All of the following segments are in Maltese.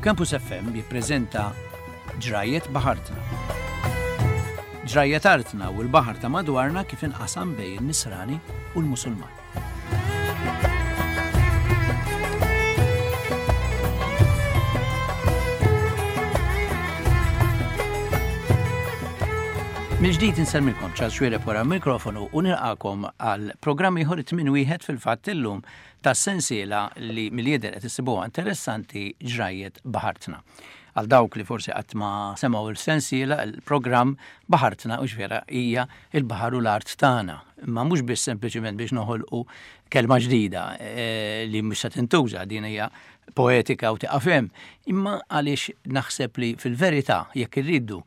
Campus FM jippreżenta Ġrajjet Baħartna. Ġrajjet artna u l-baħar ta' madwarna kif inqasam bejn in-Nisrani u l-Musulman. Mill-ġdid insellmilkom Charles Xuereb wara l-mikrofonu u nilqakom għal programm ieħor it-tmien wieħed fil-fatt illum tas-sensiela li mill-jidher qed issibuha interessanti ġrajjet baħartna. Għal dawk li forsi qatt ma semgħu il-sensiela, il-programm Baħartna u vera hija il-baħar u l-art tagħna. Imma mhux biss sempliċiment biex noħolqu kelma ġdida eh, li mhux se tintuża din hija poetika u tiqaf hemm, imma għaliex naħseb li fil-verità jekk irridu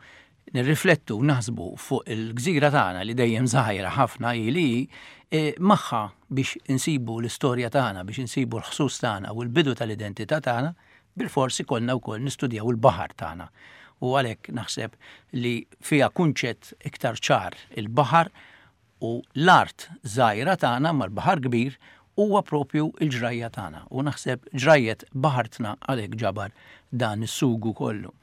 nirriflettu u naħsbu fuq il-gżira tagħna li dejjem żgħira ħafna hi li hi, eh, magħha biex insibu l-istorja tagħna, biex insibu l-ħsus tagħna u l-bidu tal-identità tagħna, bilfors ikollna wkoll nistudjaw il-baħar tagħna. U għalhekk naħseb li fiha kunċett iktar ċar il-baħar u l-art żgħira tagħna mal-baħar kbir huwa propju l-ġrajja tagħna. U naħseb ġrajjet baħartna għalhekk ġabar dan is-sugu kollu.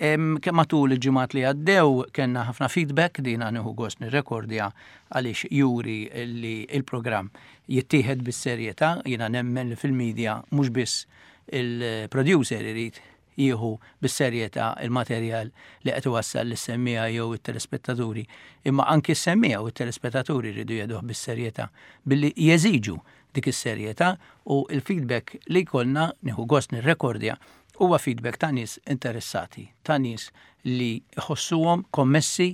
Kemm matul il-ġimgħat li għaddew kellna ħafna feedback, dina nieħu gost nirrekordja għaliex juri li il-programm jittieħed bis-serjetà, jiena nemmen li fil-media mhux biss il-producer irid jieħu bis-serjetà il-materjal li qed iwassal lis-semmiegħa jew it-telespettaturi, imma anki s-semmiegħa u t-telespettaturi jridu jeħduh bis-serjetà billi jeżiġu dik is-serjetà u l-feedback li jkollna nieħu gost nirrekordja huwa feedback ta' nies interessati, ta' nies li jħossuhom kommessi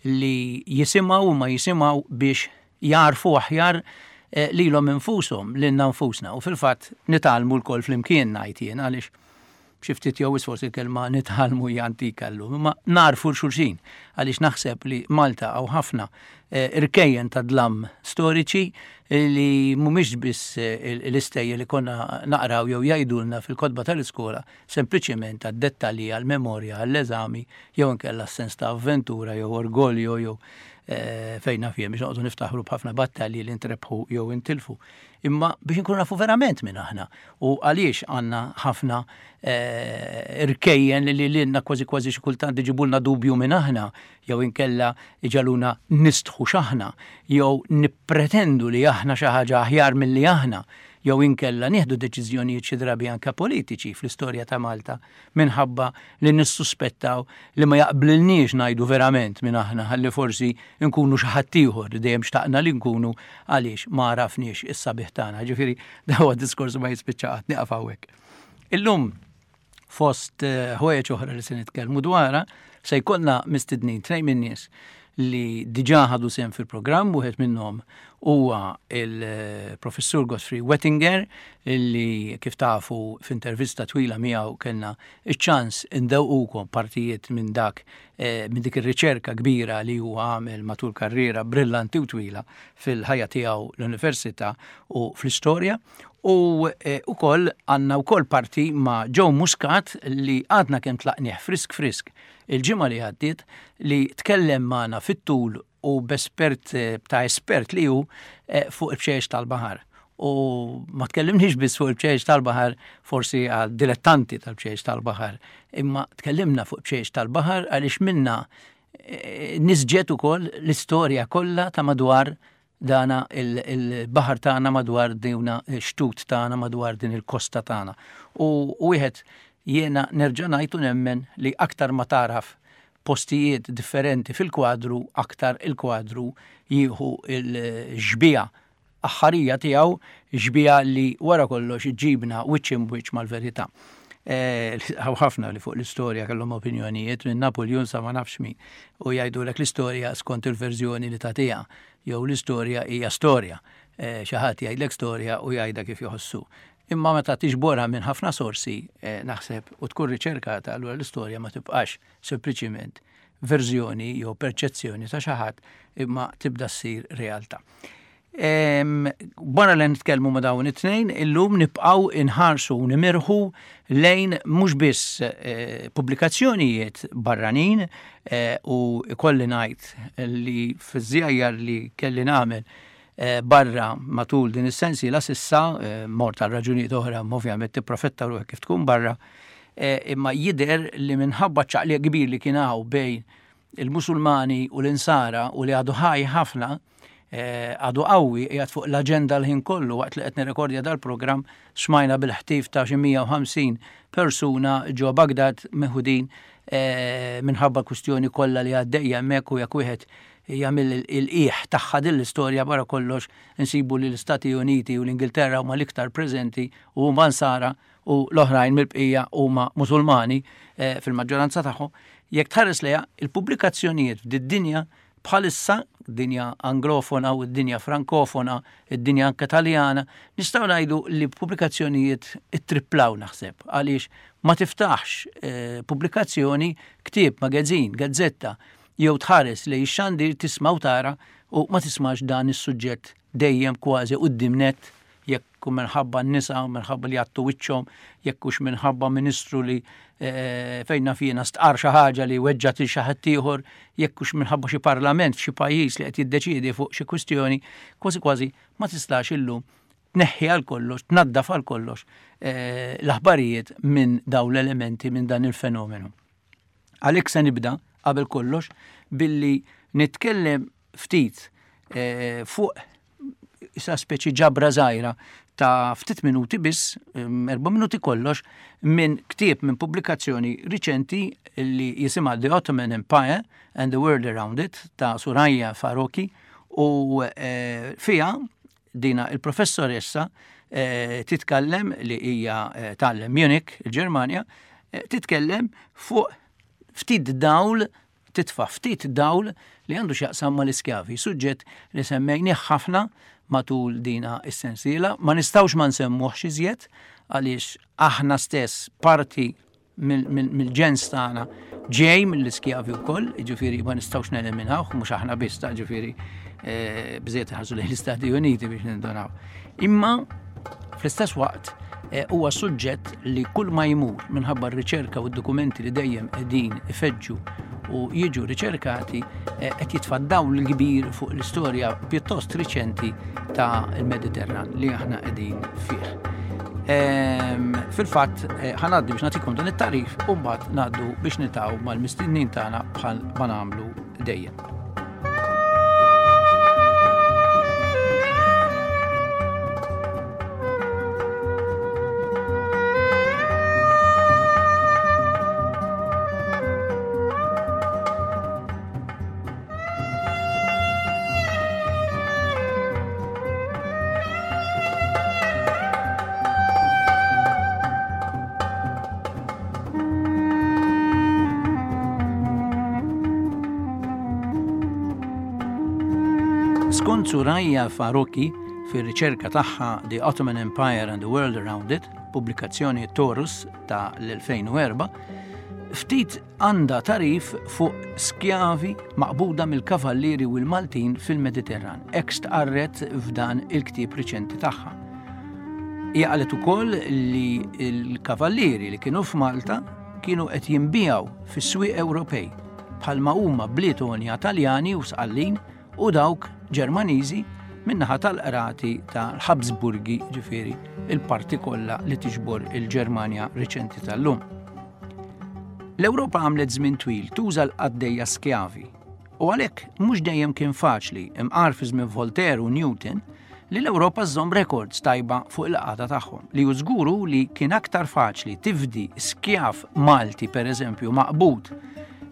li jisimgħu u ma jisimgħu biex jagħrfu aħjar eh, lilhom infushom, lilna nfusna. U fil-fatt nitgħallmu lkoll flimkien ngħid jien għaliex xi ftit jew forsi l-kelma nitgħallmu hija antika llum, imma narfu l-xulxin għaliex naħseb li Malta hawn ħafna eh, irkejjen ta' dlam storiċi li mhumiex biss eh, l-istejjer li konna naqraw jew jgħidulna fil-kotba tal-iskola, sempliċement għad-dettalji għall-memorja għall-eżami jew inkella sens ta' avventura jew orgoljo jew eh, fejn naf jien biex noqogħdu niftaħru b'ħafna battalji li ntrebħu jew intilfu. Imma biex inkunu nafu verament minn aħna u għaliex għandna ħafna eh, irkejjen li lilna kważi kważi xi kultant iġibulna dubju minn aħna jew inkella iġagħluna nistħu x'aħna, jew nippretendu li aħna xi ħaġa aħjar milli aħna, jew inkella nieħdu deċiżjonijiet xi drabi anke politiċi fl-istorja ta' Malta minħabba li nissuspettaw li ma jaqblilniex ngħidu verament min aħna ħalli forsi nkunu xi ħadd ieħor li dejjem xtaqna li nkunu għaliex ma għarafniex is-sabiħ tagħna. Ġifieri dan huwa diskors ma jispiċċa qatt nieqaf hawnhekk. Illum Fost eh, ħwejjeġ oħra li se nitkellmu dwarha, se jkollna mistednin tnejn min-nies li diġà ħadu sehem fil-programm, wieħed minnhom huwa il-professur Godfrey Wettinger li kif tafu f'intervista twila miegħu kellna iċ-ċans indewqukom partijiet minn dak eh, minn dik ir-riċerka kbira li huwa għamel matul karriera brillanti u twila fil-ħajja tiegħu l-università u fl-istorja. U eh, ukoll għandna wkoll parti ma' Joe Muscat li għadna kemm tlaqnieh frisk frisk il-ġimgħa li għaddiet li tkellem magħna fit-tul u b'espert eh, ta' espert li hu eh, fuq il-bxejjex tal-baħar. U ma tkellimniex biss fuq il-bxejjex tal-baħar forsi għal dilettanti tal-bxejjex tal-baħar, imma tkellimna fuq bxejjex tal-baħar għaliex minna nisġet ukoll l-istorja kollha ta' madwar dana il-baħar tagħna madwar dina x-xtut tagħna madwar din il-kosta tagħna. U wieħed jiena nerġa' ngħid u nemmen li aktar ma taraf postijiet differenti fil-kwadru aktar il-kwadru jieħu l-xbieha aħħarija tiegħu, xbieha li wara kollox iġġibna wiċċ imbwiċċ mal-verità. Eh, hawn ħafna li fuq l-istorja kellhom opinjonijiet minn Napoleon sa ma nafx min u jgħidulek l-istorja skont il-verżjoni li tagħtiha jew l-istorja hija storja. Eh, xi ħadd jgħidlek storja u jgħidha kif joħossu. Imma meta tiġborha minn ħafna sorsi eh, naħseb u tkun riċerkata allura l-istorja ma tibqax sempliċiment verżjoni jew perċezzjoni ta' xi ħadd imma tibda ssir realtà. Wara li nitkellmu ma' dawn it-tnejn, illum nibqgħu inħarsu u nimirħu lejn mhux biss eh, pubblikazzjonijiet barranin eh, u ikolli ngħid li fiż-żjajjar li kelli nagħmel eh, barra matul din is-sensiela sissa mort għal raġunijiet oħra ovvjament tipprofetta ruħek kif tkun barra. Imma jidher li minħabba ċ-ċaqliq kbir li kien hawn bejn il-Musulmani u l-Insara u li għadu ħaj ħafna, għadu qawwi qiegħed fuq l-aġenda l-ħin kollu waqt li qed nirrekordja dal-programm smajna bil-ħtif ta' xi 150 persuna ġo Bagdad meħudin minħabba l-kwistjoni kollha li għaddejja hemmhekk u jekk wieħed jagħmel il-qiegħ tagħha din l-istorja wara kollox insibu li l-Istati Uniti u l-Ingilterra huma l-iktar preżenti u huma Nsara u l-oħrajn mill-bqija huma Musulmani fil-maġġoranza tagħhom. Jekk tħares lejha, il-pubblikazzjonijiet f'did-dinja bħalissa, dinja anglofona u d-dinja frankofona, id-dinja anke Taljana, nistgħu ngħidu li pubblikazzjonijiet ittriplaw naħseb għaliex ma tiftaħx pubblikazzjoni, ktieb, magazin, gazzetta, jew tħares lejn ix-xandir tisma' u tara u ma tismax dan is-suġġett dejjem kważi quddiem nett jekk hu minħabba n-nisa, minħabba li jgħattu wiċċhom, jekk hux minħabba ministru li eh, fejn naf jiena stqar xi ħaġa li weġġat lil xi ħadd ieħor, jekk hux minħabba xi parlament f'xi pajjiż li qed jiddeċiedi fuq xi kwistjoni, kważi kważi ma tistax illum tneħħi għal kollox, tnaddaf għal kollox eh, l-aħbarijiet minn dawn l-elementi minn dan il-fenomenu. Għalhekk se nibda qabel kollox billi nitkellem ftit eh, fuq sa speċi ġabra żgħira ta' ftit minuti biss, erba' minuti kollox, minn ktieb minn pubblikazzjoni riċenti li jisimha The Ottoman Empire and the World Around It ta' Suraya Faroqhi u eh, fija dina il-professoressa eh, titkellem li hija eh, tgħallem Munich, il-Ġermanja, titkellem fuq ftit dawl titfa' ftit dawl li għandu x'jaqsam mal-iskjavi, suġġett li semmejnih ħafna matul dina s-sensiela, ma nistgħux ma nsemmuhx iżjed għaliex aħna stess parti mill-ġens tagħna ġej mill-iskjavi wkoll, jiġifieri ma nistgħux neliminawh, mhux aħna biss ta' ġifieri eh, bżejt ħarsu lejn l-Istati Uniti biex nindunaw. Imma fl-istess waqt eh, huwa suġġett li kull ma jmur minħabba r-riċerka u d-dokumenti li dejjem qegħdin ifeġġu u jiġu riċerkati eh, qed jitfa' dawl kbir fuq l-istorja pjuttost riċenti ta' il-Mediterran li aħna qegħdin fih. Ehm, fil-fatt eh, ħanaddi biex nagħtikom dan it-tarif u mbagħad ngħaddu biex nitaw mal-mistednin tagħna bħal ma nagħmlu dejjem. Skont Suraya Faruqi, fir-riċerka tagħha The Ottoman Empire and the World Around It, pubblikazzjoni Taurus ta' l-2004, ftit għandha tagħrif fuq skjavi maqbuda mill-Kavallieri u l-Maltin fil-Mediterran, hekk stqarret f'dan il-ktieb riċenti tagħha. Hija qalet ukoll li l-Kavallieri li kienu f'Malta kienu qed jinbiegħu fis-swieq Ewropej bħalma huma bliet għonja Taljani u Sqallin u dawk Ġermaniżi min-naħa tal-qrati tal-Habsburgi, ġifieri il-parti kollha li tiġbor il-Ġermanja riċenti tal-lum. L-Ewropa għamlet żmien twil tuża l-qaddejja skjavi u għalhekk mhux dejjem kien faċli imqar fi żmien Voltaire u Newton li l-Ewropa żżomm rekords tajba fuq il-qagħda tagħhom, li hu żgur hu li kien aktar faċli tifdi skjav Malti pereżempju maqbud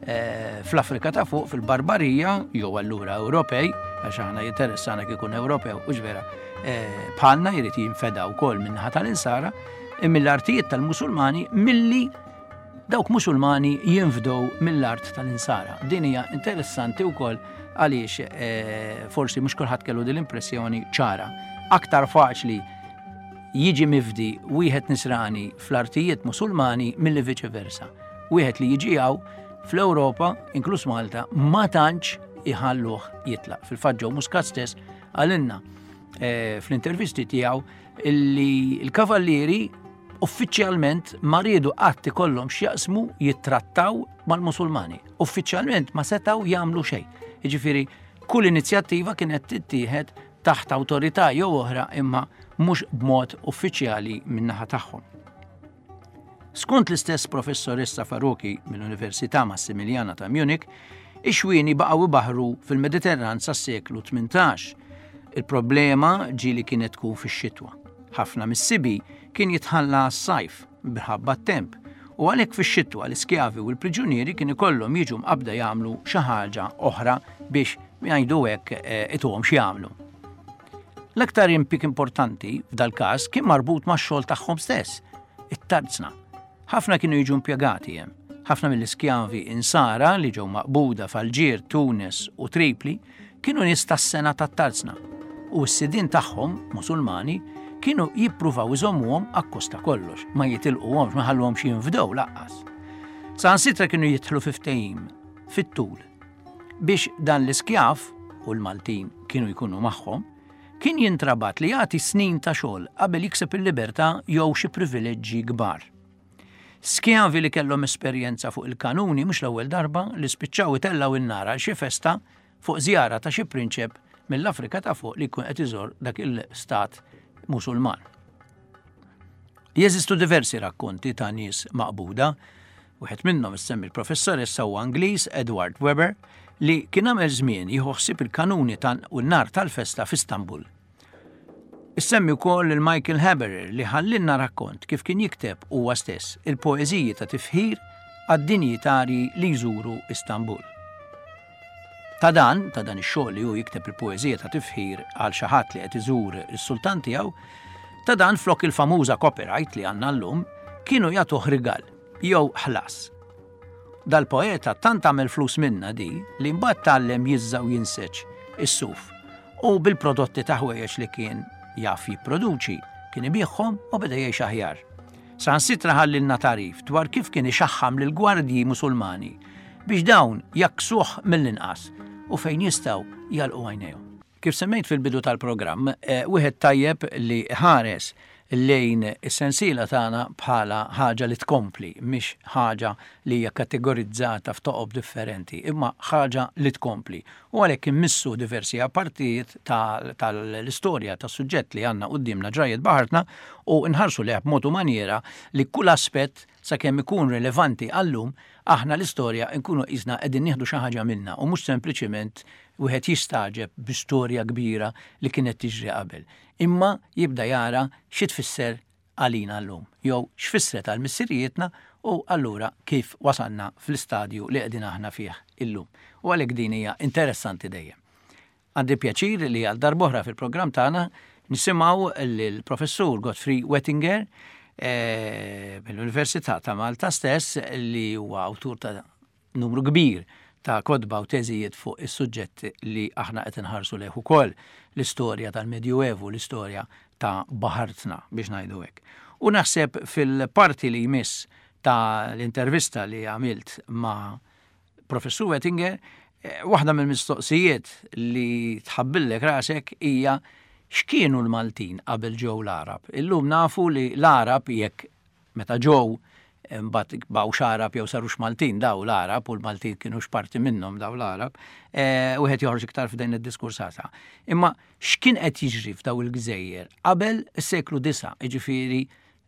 eh, fl-Afrika ta' fuq fil-Barbarija jew allura Ewropej, għax aħna jinteressana kif ikun Ewropew u vera, eh, bħalna jrid jinfeda wkoll min-naħa tal-insara, mill-artijiet tal-Musulmani milli Dawk Musulmani jinfdew mill-art tal-Insara. Din hija interessanti wkoll għaliex eh, forsi mhux kulħadd kellu din l-impressjoni ċara. Aktar faċli jiġi mifdi wieħed nisrani fl-artijiet Musulmani milli viċi versa. Wieħed li jiġi hawn fl-Ewropa, inkluż Malta, ma tantx iħalluh jitlaq. Fil-fatt Joe Muscat stess għalinna eh, fl-intervisti tiegħu illi l-kavallieri uffiċjalment ma riedu qatt ikollhom x'jaqsmu jittrattaw mal-Musulmani. Uffiċjalment ma setgħu jagħmlu xejn. Jiġifieri kull inizjattiva kienet tittieħed taħt awtorità jew oħra imma mhux b'mod uffiċjali min-naħa tagħhom. Skont l-istess professoressa Faruqi mill-Università Massimiliana ta' Munich, ix-xwieni baqgħu ibaħħru fil-Mediterran sas-seklu 18. Il-problema ġieli kienet tkun fix-xitwa. Ħafna mis-sibi kien jitħalla għas-sajf minħabba t-temp u għalhekk fix-xitwa l-iskjavi u l-priġunieri kien ikollhom jiġu mqabbda jagħmlu xi ħaġa oħra biex ngħidu hekk eh, ituhom x'jagħmlu. L-aktar impik importanti f'dal-każ kien marbut max-xogħol tagħhom stess, it-tarzna. Ħafna kienu jiġu impjegati hemm. Ħafna mill-iskjavi insara li ġew maqbuda f'Alġier, Tunis u Tripli kienu nies tas-sena tat-tarzna u s-sidien tagħhom, Musulmani, kienu jippruvaw iżommuhom akkost ta' kollox, ma jitilquhomx, ma ħalluhomx jinfdew laqqas. Saħansitra kienu jidħlu fi ftehim fit-tul biex dan l-iskjav, u l-Maltin kienu jkunu magħhom, kien jintrabat li jagħti snin ta' xogħol qabel jikseb il-libertà jew xi privileġġi kbar. Skjavi li kellhom esperjenza fuq il-kanuni mhux l-ewwel darba li spiċċaw itellgħu n-nar għal xi festa fuq żjara ta' xi prinċep mill-Afrika ta' fuq li jkun qed iżur dak il-stat Musulman. Jeżistu diversi rakkonti ta' nies maqbuda. Wieħed minnhom issemmi l-professoressa huwa Ingliż Edward Webber li kien għamel żmien jieħu ħsieb il-kanuni u n-nar tal-festa f'Istanbul. Issemmi wkoll lil Michael Haberer li ħallilna rakkont kif kien jikteb huwa stess il-poeżiji ta' tifħir għad-dinjitarji li jżuru Istanbul. Ta' dan, ta' dan ix-xogħol li hu jikteb il-poeżija ta' tifħir għal xi ħadd li qed iżur is-sultan tiegħu, ta' dan flok il-famuża copyright li għandna llum, kienu jagħtuh rigal jew ħlas. Dal-poeta tant għamel flus minnha di li mbagħad tgħallem jiżża u jinseġ is-suf u bil-prodotti ta' ħwejjeġ li kien jaf jipproduċi kien ibigħhom u beda jgħix aħjar. Saħansitra ħallilna tagħrif dwar kif kien ixaħħam lill-gwardji Musulmani biex dawn jgħakksuh mill-inqas u fejn jistgħu jagħlqu għajnejhom. Kif semmejt fil-bidu tal-programm, wieħed tajjeb li ħares lejn is-sensiela tagħna bħala ħaġa li tkompli, mhix ħaġa li hija kategorizzata f'toqob differenti, imma ħaġa li tkompli. U għalhekk immissu diversi partijiet tal-istorja tas-suġġett li għandna quddiemna ġrajjiet baħartna u nħarsu lejha b'mod u manjiera li kull aspett sakemm ikun rilevanti għal-lum, aħna l-istorja nkunu qisna qegħdin nieħdu xi ħaġa minnha u mhux sempliċiment wieħed jistagħġeb bi storja kbira li kienet tiġri qabel, imma jibda jara xi tfisser għalina llum, jew x'fissret għal missirijietna u allura kif wasalna fl-istadju li qegħdin aħna fih illum. U għalhekk din hija interessanti dejjem. Għandi pjaċir li għal darb'oħra fil-programm tagħna nisimgħu lill-Professur Godfrey Wettinger eh, mill-Università ta' Malta stess li huwa awtur ta' numru kbir ta' kotba u teżijiet fuq is-suġġett li aħna qed inħarsu lejh ukoll, l-istorja tal-Medjuevu, l-istorja ta' baħartna biex ngħidu hekk. U naħseb fil-parti li jmiss ta' l-intervista li għamilt ma' Professur Wettinger, eh, waħda mill-mistoqsijiet li tħabbillek rasek hija x'kienu l-Maltin qabel ġew l-Għarab. Illum nafu li l-Għarab jekk Meta ġew, imbagħad baqgħux Għarab jew sarux Maltin daw l-Għarab u l-Maltin kienux parti minnhom daw l-Għarab, eh, wieħed joħroġ iktar f'din id-diskursata. Imma x'kien qed jiġri f'daw il-gżejjer qabel is-seklu 9, jiġifieri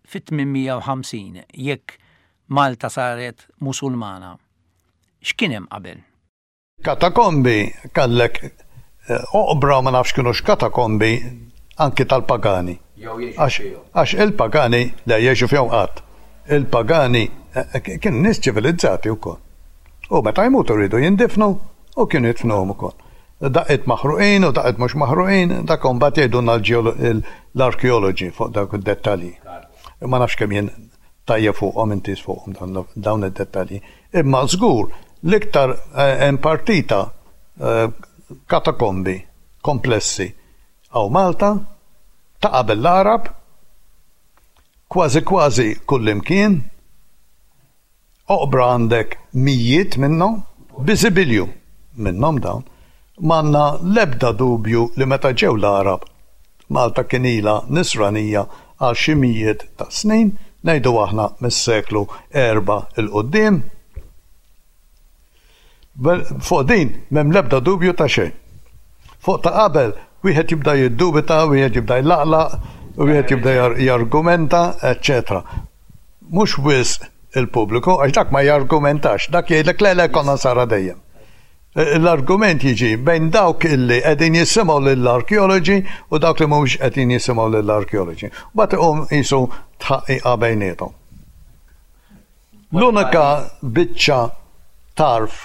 fit-850, jekk Malta saret Musulmana, x'kien hemm qabel? Katakombi kellek oqbra ma nafx kinux katakombi anki tal-pagani. Għax il-pagani, le jgħixu fihom qatt. Il-pagani kienu nies ċivilizzati wkoll. U meta jmutu riedu jindifnu u kienu jidfnuhom ukoll. Daqqiet maħruqin u daqqiet mhux maħruqin, dak imbagħad jgħidulna l-arkeoloġi fuq dawk id-dettalji. Ma nafx kemm jien tajjeb fuqhom intiż fuqhom dawn id-dettalji. Imma żgur l-iktar hemm partita katakombi komplessi hawn Malta ta' qabel l-Għarab, kważi kważi kullimkien, oqbra għandek mijiet minnhom, biżibilju minnhom dawn. M'għandna l-ebda dubju li meta ġew l-Għarab Malta kien ilha Nisranija għal xi mijiet ta' snin, ngħidu aħna mis-seklu erbgħa 'l quddiem. Fuq din m'hemm l-ebda dubju ta' xejn. Fuq ta' qabel wieħed jibda jiddubita, wieħed jibda jlaqlaq, wieħed jibda jargumenta, eċċetera. Mhux wisq il-pubbliku għax dak ma jargumentax, dak jgħidlek le le konna nsara dejjem. L-argument jiġi bejn dawk illi qegħdin jisimgħu lill-arkeoloġi u dawk li mhumiex qegħdin jisimgħu lill-arkeoloġi. Mbagħad iqum qisu tħaqqiqa bejniethom. L-unika biċċa tarf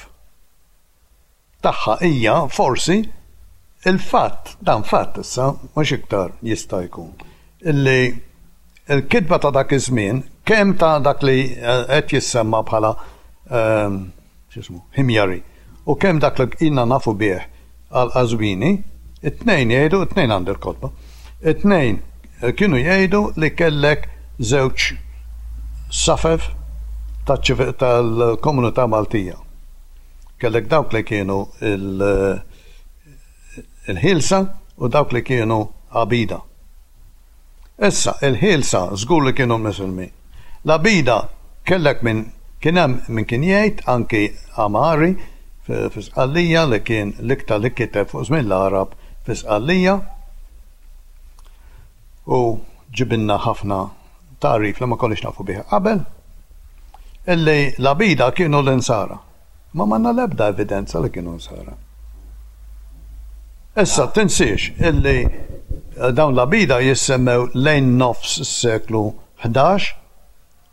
tagħha hija forsi l-fatt, dan fatt issa, mhux iktar jista' jkun, illi l-kitba ta' dak iż-żmien, kemm ta' dak li qed jissemma bħala x'ismu, Himyari, u kemm dak li ilna nafu bih għall-Qazwini, it-tnejn jgħidu, it-tnejn għandi l-kotba, it-tnejn kienu jgħidu li kellek żewġ safef tal-komunità Maltija. Kellek dawk li kienu il-ħielsa u dawk li kienu għabida. Issa, il-ħielsa żgur li kienu Misilmin. L-għabida kellek min kien hemm min kien jgħid, anki Amari fi Sqallija li kien l-iktar li kiteb fuq żmien l-Għarab fi Sqallija u ġibilna ħafna tagħrif li ma konniex nafu bih qabel, illi l-għabida kienu l-Insara. Ma m'għandna l-ebda evidenza li kienu Nsara. Issa tinsiex illi eh, dawn l-għabida jissemmew lejn nofs is-seklu 11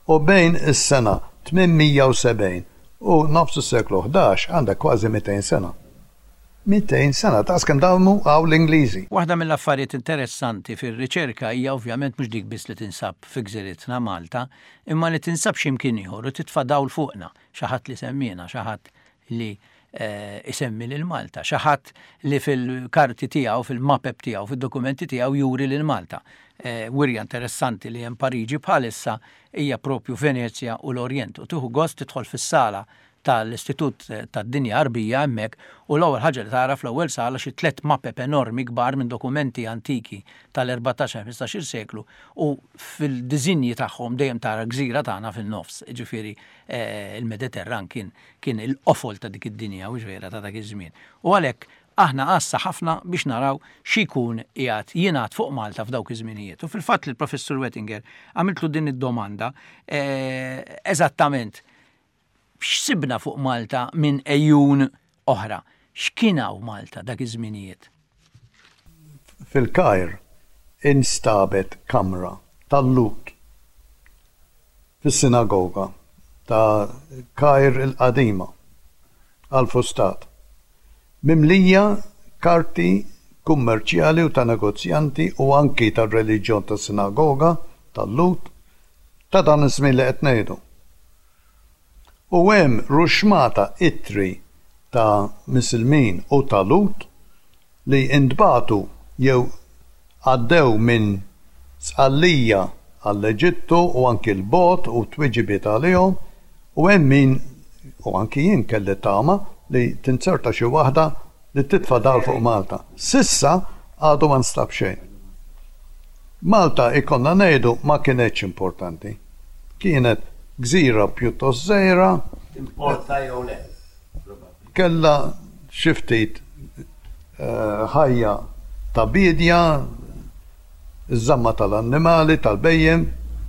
u bejn is-sena 870 u nofs is-seklu 11 għandek kważi 200 sena. 200 sena, daqs kemm damu hawn l-Ingliżi. Waħda mill-affarijiet interessanti fir-riċerka hija ovvjament mhux dik biss li tinsab fi gżiritna Malta, imma li tinsab xi mkien ieħor u titfa' dawl fuqna, xi ħadd li semmiena, xi ħadd li isemmi lil Malta, xi ħadd li fil-karti tiegħu, fil-mapep tiegħu, fid-dokumenti tiegħu juri lil Malta. Wirja interessanti li hemm Pariġi bħalissa hija propju Venezja u l-Orjent u tieħu gost tidħol fis-sala tal-Istitut tad-Dinja Għarbija hemmhekk u l-ewwel ħaġa li tara fl-ewwel sala xi tlett mapep enormi kbar minn dokumenti antiki tal-erbatax ħmistax-il seklu u fil-diżinji tagħhom dejjem tara l-gżira tagħna fin-nofs, jiġifieri il-Mediterran kien kien il-qofol ta' dik id-dinja, hux vera, ta' dak iż-żmien. U għalhekk aħna għassa ħafna biex naraw xi jkun qiegħed jingħad fuq Malta f'dawk iż-żminijiet. U fil-fatt lill-Professur Wettinger għamiltlu din id-domanda eżattament X'sibna fuq Malta minn għejun oħra? X'kien hawn Malta dak iż-żminijiet? Fil-Kajr instabet kamra tal-Lhud fis-sinagoga ta' Kajr il-Qadima, Al-Fustat, mimlija karti kummerċjali u ta' negozjanti u anki tar-reliġjon tas-sinagoga tal-Lhud ta' dan iż-żmien li qed ngħidu. U hemm ruxxmata ittri ta' Misilmin u ta' Lhud li ntbagħtu jew għaddew minn Sqallija għall-Eġittu u anki 'l bogħod u twiġibiet għalihom u hemm min, u anki jien kelli tama li tinzerta xi waħda li titfa' dawl fuq Malta. S'issa għadu ma nstab xejn. Malta ikollna ngħidu ma kinetx importanti. Kienet gżira pjuttost żgħira. Timporta jew le, probabbli. Kellha xi ftit ħajja ta' biedja, iż-żamma tal-annimali, tal-bhejjem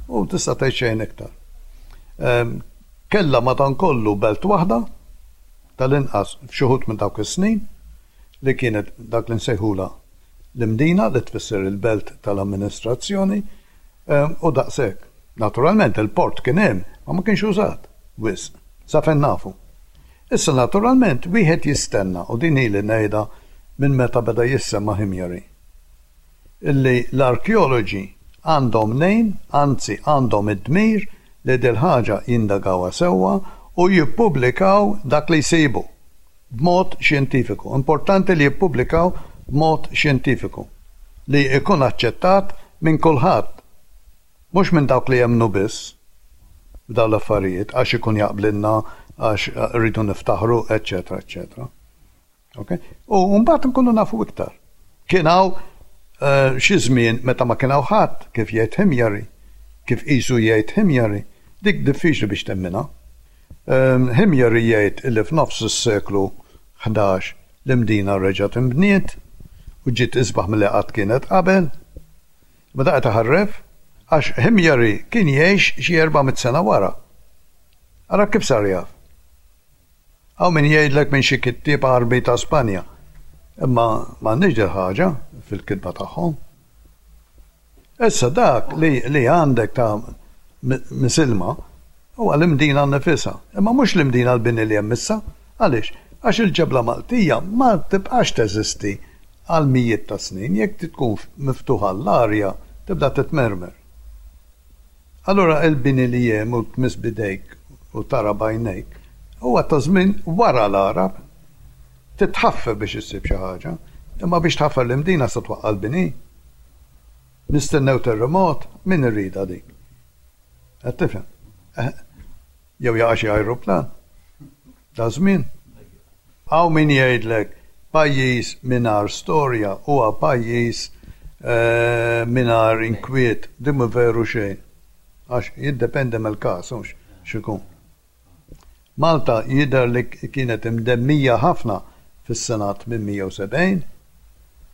u tista' tgħid xejn iktar. Kellha madankollu belt waħda, tal-inqas f'xi wħud minn dawk is-snin, li kienet dak li nsejħulha l-Imdina, li tfisser il-belt tal-amministrazzjoni, u daqshekk. Naturalment il-port kien hemm, ma ma kienx użat wisq, sa fejn nafu. Issa naturalment wieħed jistenna, u din ili ngħidha minn meta beda jissemma Himyari, illi l-arkeoloġi għandhom mnejn, anzi għandhom id-dmir li dil-ħaġa jindagawha sewwa u jippubblikaw dak li jsibu b'mod xjentifiku. Importanti li jippubblikaw b'mod xjentifiku li jkun aċċettat minn kulħadd, mhux minn dawk li jemmnu biss f'dawn l-affarijiet għax ikun jaqblilna, għax rridu niftaħru, eċċetera, eċċetera. Okay? U mbagħad nkunu nafu iktar. Kien hawn eh, xi żmien meta ma kien hawn ħadd kif jgħid Himjari, kif qisu jgħid Himjari, dik diffiċli biex temminha. Ehm, Himjari jgħid li f'nofs is-seklu 11 l-Imdina reġgħet inbniet u ġiet isbaħ milli qatt kienet qabel. Ma daqqa taħarref. Għax Himyari kien jgħix xi 400 sena wara. Ara kif sar jaf. Hawn min jgħidlek minn xi kittieb Għarbi ta' Spanja. Imma m'għandniex dil-ħaġa fil-kitba tagħhom. Issa dak li li għandek ta' Misilma huwa l-Imdina nnifisha. Imma mhux l-Imdina l-bini li hemm issa. Għaliex? Għax il-ġebla Maltija ma tibqax teżisti għal mijiet ta' snin, jekk tkun miftuħa għall-arja tibda titmermer. Allura il-bini li hemm u tmiss b'idejk u tara b'għajnejk huwa ta' żmien wara l-Għarab. Trid tħaffer biex issib xi ħaġa. Imma biex tħaffer l-Imdina se twaqqa' l-bini? Nistennew terremot? Min iridha dik? Qed tifhem? Jew jaqa' xi ajruplan? Daż-żmien? Hawn min jgħidlek pajjiż mingħajr storja huwa pajjiż mingħajr inkwiet. Din mhu veru xejn. Għax jiddependi mill-każ hux x'ikun. Malta jidher li kienet imdemmija ħafna fis-sena 870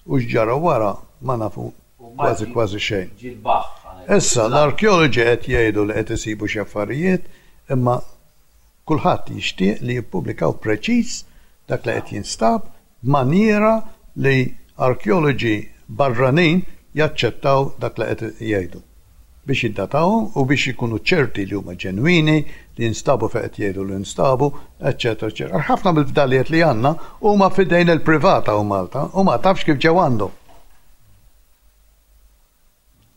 u x'ġara wara ma nafu kważi kważi xejn. Issa l-arkeoloġi qed jgħidu li qed isibu xi affarijiet imma Kulħadd jixtieq li jippubblikaw preċiż dak li qed jinstab b'manjiera li arkeoloġi barranin jaċċettaw dak li qed jgħidu, biex jiddatawhom u biex ikunu ċerti li huma ġenwini, li jinstabu fejn qed jgħidu li nstabu, eċċetera eċċetera. Għax ħafna mill-fdalijiet li għandna huma f'idejn il-privat hawn Malta u ma tafx kif ġew għandhom.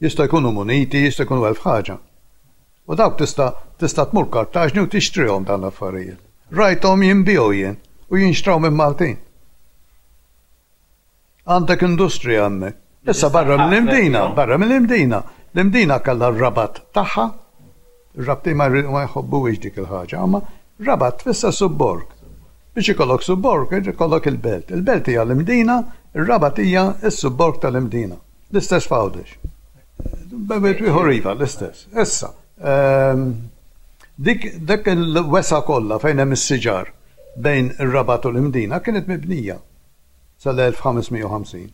Jista' jkunu muniti, jista' jkunu elf ħaġa. U dawk tista' tista' tmur Kartaġni u tixtrihom dawn l-affarijiet. Rajthom jinbiegħu jien u jinxtraw minn Maltin. Għandek industrija hemmhekk. Issa barra mill-Imdina, barra mill-Imdina. L-Imdina kellha r-rabat tagħha. Ir-Rabtin ma jħobbuhiex dik il-ħaġa, imma rabat tfisser subborg. Biex ikollok subborg irid ikollok il-belt. Il-belt hija l-Imdina, ir-rabat hija s-subborg tal-Imdina. L-istess f'Għawdex. Bejn ieħor iva, l-istess. Issa, ehm, dik dak il-wesa kollha fejn hemm is-siġar bejn ir-Rabat u l-Imdina kienet mibnija sal-1550.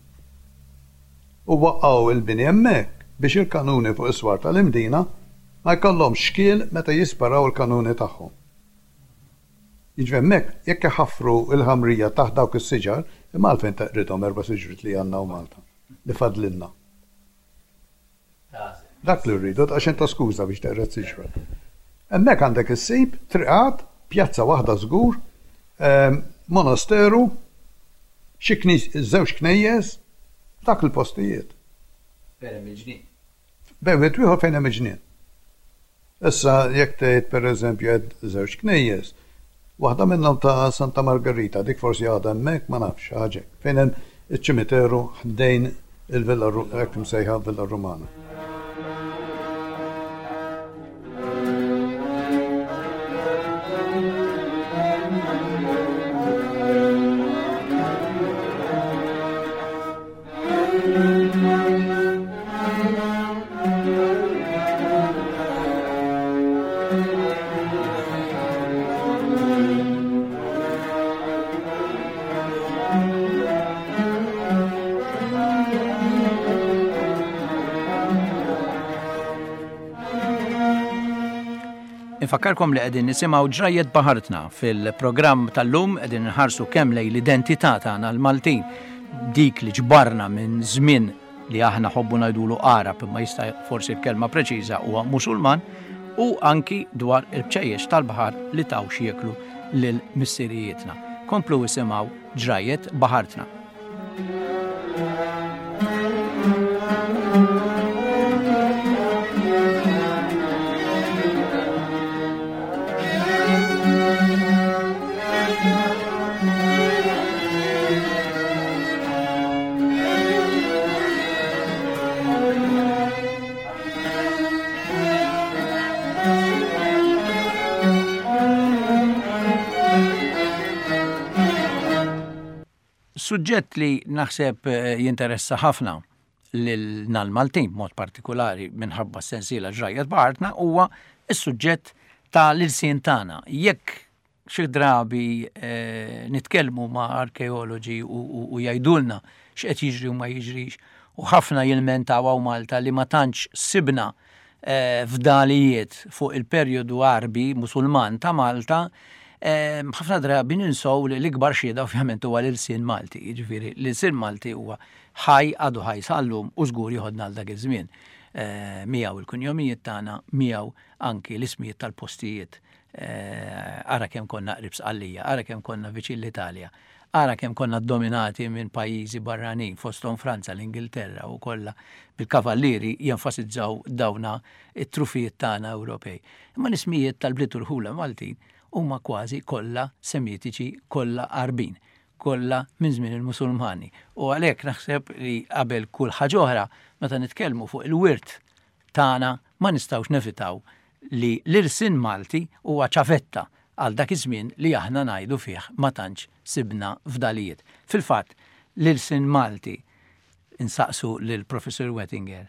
U waqqgħu il-bini hemmhekk biex il-kanuni fuq is-swar tal-Imdina ma jkollhomx xkiel meta jisparaw il-kanuni tagħhom. Jiġifieri hemmhekk jekk iħaffru l-ħamrija taħt dawk is-siġar, imma għalfejn teqridhom erba' siġriet li għandna hawn Malta, li fadlilna. Dak li rridu, daqsxejn ta' skuża biex teqred siġra. Hemmhekk għandek issib triqat, pjazza waħda żgur, ehm, monasteru, xi żewġ knejjes, dak il-postijiet. Fejn hemm il-ġnien. Bejn wieħed u ieħor fejn hemm il-ġnien. Issa jekk tgħid pereżempju għedt żewġ knejjes, waħda minnhom ta' Santa Margherita, dik forsi għadha hemmhekk, ma nafx, xi ħaġa hekk, fejn hemm iċ-ċimiteru ħdejn il-Villa hekk imsejħa Villa Romana. Infakkarkom li qegħdin nisimgħu ġrajjet baħartna fil-programm tal-lum qegħdin nħarsu kemm lejn l-identità tagħna l-Maltin dik li ġbarna minn żmien li aħna ħobbu ngħidulu Għarab imma jista' forsi l-kelma preċiża huwa Musulman u anki dwar il-bċejjeċ tal-baħar li taw x'jieklu lil missirijietna. Komplu isimgħu ġrajjet baħartna. Suġġett li naħseb eh, jinteressa ħafna lil l-Maltin b'mod partikolari minħabba s-sensiela ġrajja b'artna huwa s-suġġett ta' l-ilsien tagħna. Jekk Xi drabi nitkellmu ma' arkeoloġi u jgħidulna x'qed jiġri u ma jiġrix. u ħafna jilmentaw hawn Malta li ma tantx sibna fdalijiet fuq il-perjodu Għarbi Musulman ta' Malta, ħafna drabi ninsow li l-ikbar xhieda ovvjament huwa l-ilsien Malti. Jiġifieri l-ilsien Malti huwa ħaj, għadu ħaj sal-lum u żgur joħodna għal dak iż-żmien. Miegħu il-kunjomijiet tagħna, miegħu anki l-ismijiet tal-postijiet. Ara kemm konna qrib Sqallija, ara kemm konna viċin l-Italja. Ara kemm konna ddominati minn pajjiżi barranin, fosthom Franza, l-Ingilterra u kollha bil-kavallieri jenfasizzaw dawna t-trufijiet tagħna Ewropej. Imma l-ismijiet tal-bliet u rħula Maltin huma kważi kollha Semitiċi, kollha Għarbin, kollha minn żmien il-Musulmani. U għalhekk naħseb li qabel kull ħaġa oħra, meta nitkellmu fuq il-wirt tagħna ma nistgħux nevitaw li l-ilsien Malti huwa ċavetta għal dak iż-żmien li aħna ngħidu fih ma tantx sibna fdalijiet. Fil-fatt, l-ilsien Malti, insaqsu lill-Professur Wettinger,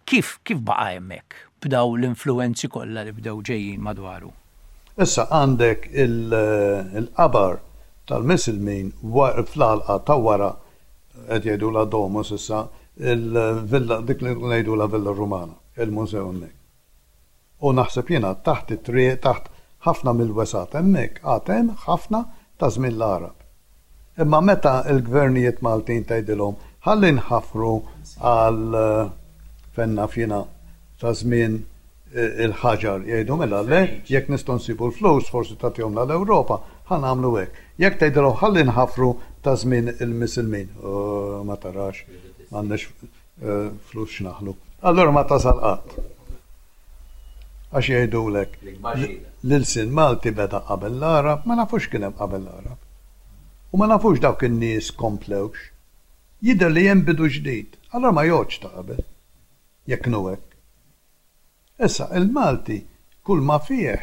kif kif baqa' hemmhekk b'dawn l-influwenzi kollha li bdew ġejjin madwaru? Issa għandek il-qabar tal-Misilmin fl-għalqa ta' wara qed jgħidulha Domus issa, il-villa dik li ngħidulha Villa Rumana, il-mużew hemmhekk. U naħseb jiena taħt it-triq, taħt ħafna mill-wesgħat hemmhekk għad hemm ħafna ta' żmien l-Għarab. Imma meta l-gvernijiet Maltin tgħidilhom ħalli nħaffru għal fejn naf jiena ta' żmien il-ħaġar jgħidu mela le, jekk nistgħu nsibu l-flus forsi tagħtihomlna l-Ewropa, ħa nagħmlu hekk. Jekk tgħidilhom ħalli nħaffru ta' żmien il-Misilmin, ma tarax, m'għandniex flus x'naħlu. Allura ma tasal qatt. Għax jgħidulek l-ilsien Malti beda qabel l-Għarab, ma nafux x'kien hemm qabel l-Għarab. U ma nafux dawk in-nies komplewx. Jidher li hemm bidu ġdid, allura ma jgħoddx ta' qabel. Jekk inhu hekk. Issa, il-Malti kull ma fih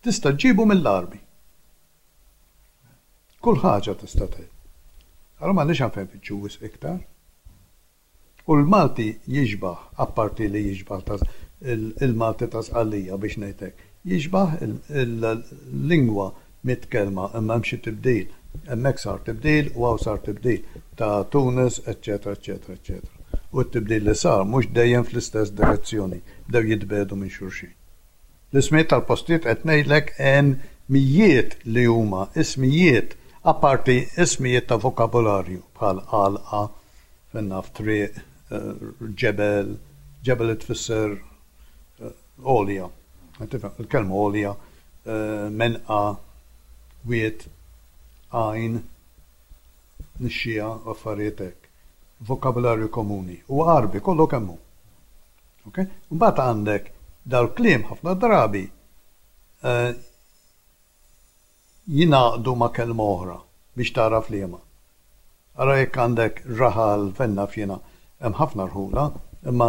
tista' ġġibu mill-Għarbi. Kull ħaġa tista' tgħid. Allura m'għandniex għalfejn nfittxu wisq iktar. U l-Malti jixbah, apparti li jixbah ta' il-Malti ta' Sqallija biex ngħid hekk, jixbah il-lingwa mitkellma imma hemm xi tibdil. Hemmhekk sar tibdil u hawn sar tibdil ta' Tunis, eċċetera, eċċetera, eċċetera. U t-tibdil li sar mhux dejjem fl-istess direzzjoni, bdew jitbiegħdu minn xulxin. L-ismijiet tal-postijiet qed ngħidlek hemm mijiet li huma ismijiet apparti ismijiet ta' vokabularju bħal għalqa, fejn naf triq, ġebel, ġebel tfisser għolja. Tifhem, il-kelma għolja, menqa, wied, għajn, nixxiegħa, affarijiet hekk. Vokabularju komuni. Huwa Għarbi kollu kemm hu. Ok? Mbagħad għandek dal-kliem ħafna drabi eh, jingħaqdu ma' kelma oħra biex tagħraf liema. Ara jekk għandek raħal fejn naf jiena hemm ħafna rħula, imma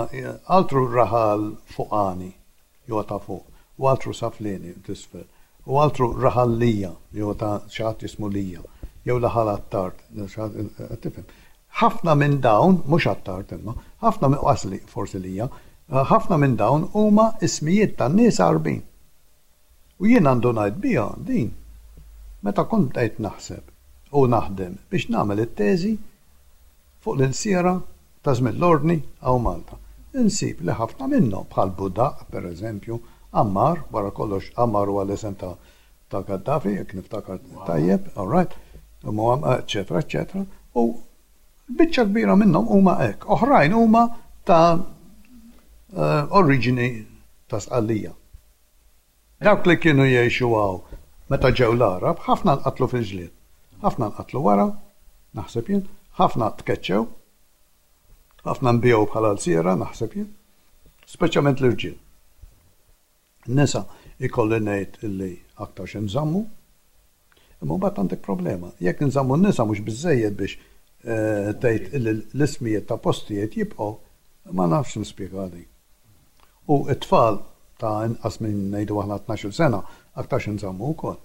altru raħal fuqani li huwa ta' fuq, u altru saflieni t'isfel, u altru raħal Lija li huwa ta' xi ħadd jismu Lija, jew raħal Attard, qed tifhem. Ħafna minn dawn, mhux Attard imma, ħafna minn, qas forsi Lija, ħafna minn dawn huma ismijiet ta' nies Għarbin. U jiena ndunajt biha din meta kont bdejt naħseb u naħdem biex nagħmel it-teżi fuq l-ilsiera ta' żmien l-Ordni hawn Malta. Insib li ħafna minnhom, bħal Budaq, per eżempju, Ammar, wara kollox Ammar huwa l-isem ta' ta' Gaddafi, jekk niftakar tajjeb, all right, eċċetera, eċċetera, u biċċa kbira minnhom huma hekk. Oħrajn huma ta' oriġini ta' Sqallija. Dawk li kienu jgħixu hawn meta ġew l-Għarab, ħafna nqatlu fil-ġlied. Ħafna nqatlu wara, naħseb jien, ħafna tkeċċew, ħafna nbiegħu bħala lsiera, naħseb jien, speċjalment l-irġiel. Nisa ikolli ngħid illi aktarx inżammu, imma mbagħad għandek problema. Jekk inżammu n-nisa mhux biżżejjed biex eh, tgħid illi l-ismijiet ta' postijiet jibqgħu, ma nafx nispjega din. U t-tfal ta' inqas minn ngħidu aħna 12-il sena aktarx inżammu wkoll.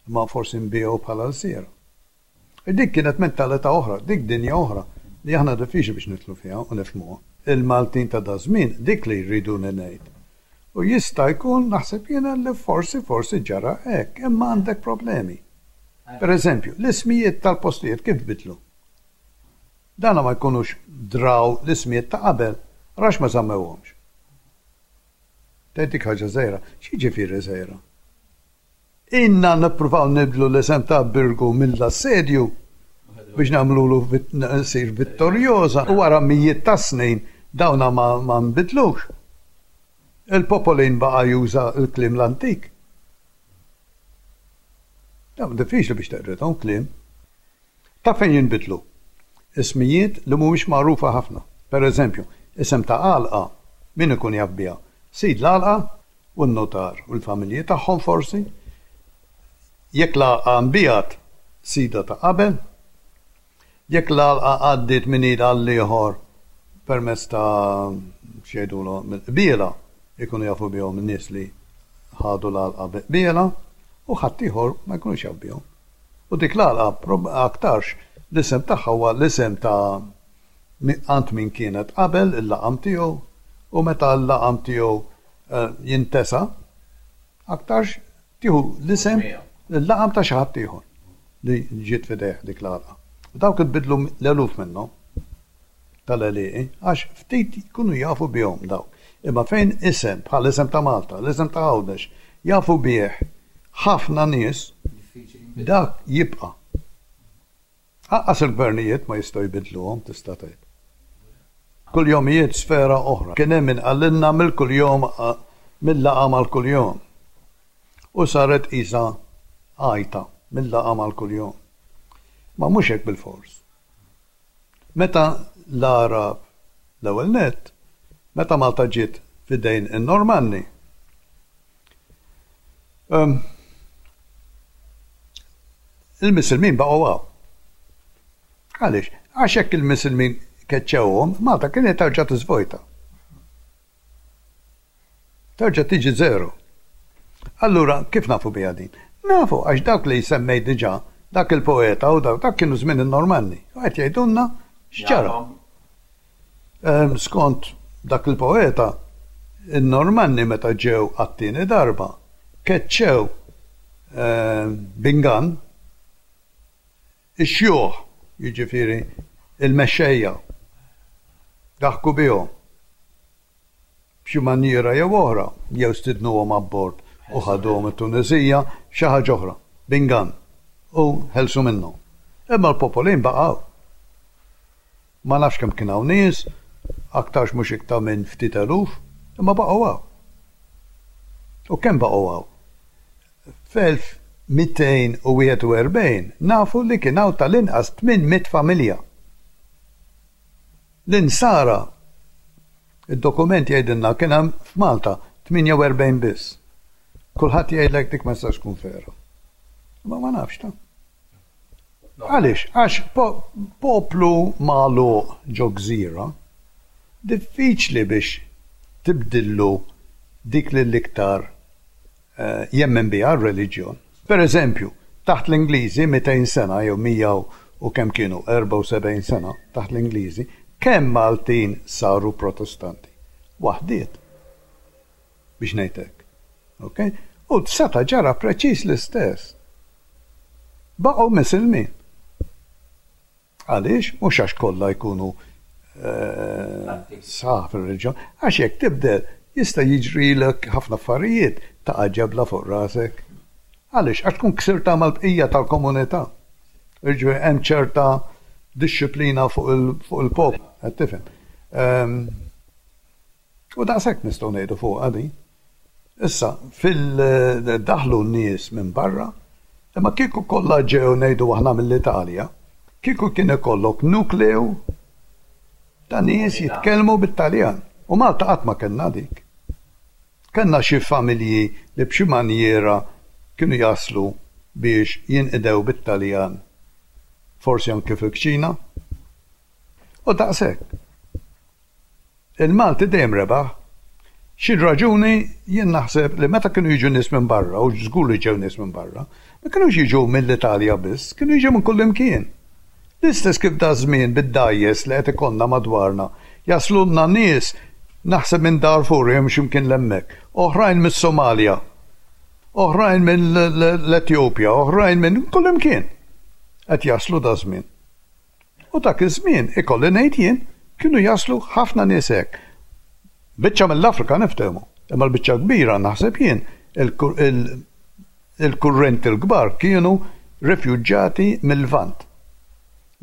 Imma forsi nbiegħu bħala lsiera. Dik kienet mentalità oħra, dik dinja oħra li aħna diffiċli biex nidħlu fiha u nifhmuha. Il-Maltin ta' daż-żmien dik li jriduni ngħid. U jista' jkun, naħseb jiena, li forsi forsi ġara hekk, imma għandek problemi. Per eżempju, l-ismijiet tal-postijiet kif tbiddlu? Dana ma jkunux draw l-ismijiet ta' qabel, għax ma żammewhomx. Tgħid dik ħaġa żgħira. X'jiġifieri żgħira? Ilna nippruvaw nibdlu l-isem ta' Birgu mill-assedju biex nagħmlulu ssir Vittoriosa u wara mijiet ta' snin dawna ma nbidlux. Il-popolin baqa' juża l-kliem l-antik. Dawn diffiċli biex teqridhom kliem. Taf fejn jinbidlu? Ismijiet li mhumiex magħrufa ħafna. Per eżempju, isem ta' għalqa, min ikun jaf biha? Sid l-għalqa u n-nutar u l-familji tagħhom forsi. Jekk l-għalqa nbiegħet, sidha ta' qabel. Jekk l-għalqa għaddiet minn id għall-ieħor permezz ta' x'jgħidulu mill-qbiela, ikunu jafu bihom in-nies li ħadu l-għalqa bi qbiela u ħaddieħor ma jkunux jaf bihom. U dik l-għalqa aktarx l-isem tagħha huwa l-isem ta' għand min kienet qabel il-laqam tiegħu u meta l-laqam tiegħu jintesa aktarx tieħu l-isem il-laqam ta' xi ħadd ieħor li ġiet f'idejh dik l-għalqa. U dawk inbidlu l-eluf minnhom tal-għelieqi għax ftit jkunu jafu bihom dawk. Imma fejn isem bħal isem ta' Malta, l-isem ta' Għawdex jafu bih ħafna nies, dak jibqa'. Anqas il-gvernijiet ma jistgħu jbiddluhom tista' tgħid. Kuljomijiet sfera oħra. Kien hemm min qalilna mill-kuljom mil-laqam għall-kuljom. U saret qisha għajta mil-laqam għall-kuljom. Ma mhux hekk bilfors. Meta l-Għarab l-ewwel nett, meta Malta ġiet f'idejn in-Normanni, Il-Misilmin baqgħu hawn. Għaliex? Għax jekk il-Misilmin keċċewhom, Malta kienet terġa' tiżvojta. Terġa' tiġi zero. Allura, kif nafu biha din? Nafu għax dawk li semmejt diġà, dak il-poeta u dawk, dak kienu żmien in-Normanni. U qed jgħidulna x'ġara. Skont dak il-poeta, in-Normanni meta ġew għat-tieni darba, keċċew b'ingann ix-xjuħ, jiġifieri l-mexxejja, daħku bihom b'xi manjiera jew oħra, jew stidnuhom abbord u ħaduhom it-Tuneżija, xi ħaġa oħra, b'ingann, u ħelsu minnhom. Imma l-popolin baqgħu. Ma nafx kemm kien hawn nies, aktarx mhux iktar minn ftit eluf, imma baqgħu hawn. U kemm baqgħu hawn? F'1241 nafu li kien hawn tal-inqas 800 familja. L-Insara, id-dokument jgħidilna kien hemm f'Malta 48 biss. Kulħadd jgħidlek dik ma tistax tkun vera. Imma ma nafx ta'. Għaliex? Għax poplu magħluq ġo gżira diffiċli biex tibdillu dik li l-iktar jemmen biha r-reliġjon. Per eżempju, taħt l-Ingliżi 200 sena jew 100 u kemm kienu 74 sena taħt l-Ingliżi, kemm Maltin saru Protestanti? Waħdiet. Biex ngħid hekk. Ok? U seta' ġara preċiż l-istess. Baqgħu misilmin. Għaliex? Mhux għax kollha jkunu eh, sħaħ fir-reliġjon, għax jekk tibdel jista' jiġrilek ħafna affarijiet taqa' ġebla fuq rasek. Għaliex? Għax tkun ksirta mal-bqija tal-komunità. Jiġifieri hemm ċerta dixxiplina fuq il-poplu, qed tifhem. Ehm, U daqshekk nistgħu ngħidu fuqha din. Issa, fil-daħlu n-nies minn barra, imma kieku kollha ġew ngħidu aħna mill-Italja, kieku kien ikollok nukleu ta' nies jitkellmu bit-Taljan. U Malta qatt ma kellna dik. Kellna xi familji li b'xi manjiera kienu jaslu biex jinqdew bit-Taljan, forsi anke fil-kċina. U daqshekk. Il-Malti dejjem rebaħ. Xi raġuni jien naħseb li meta kienu jiġu nies minn barra, u żgur li ġew nies minn barra, ma kinux jiġu mill-Italja biss, kienu jiġu minn kullimkien. L-istess kif daż-żmien bid-dgħajjes li qed ikollna madwarna, jaslulna nies naħseb minn Darfur jew xi mkien 'l hemmhekk, oħrajn mis-Somalja, oħrajn mill-Etjopja, oħrajn minn kullimkien qed jaslu daż-żmien. U dak iż-żmien, ikolli ngħid jien, kienu jaslu ħafna nies hekk. Biċċa mill-Afrika niftehmu, imma l-biċċa l-kbira naħseb jien il-kurrenti l-kbar kienu refuġjati mil-Lvant.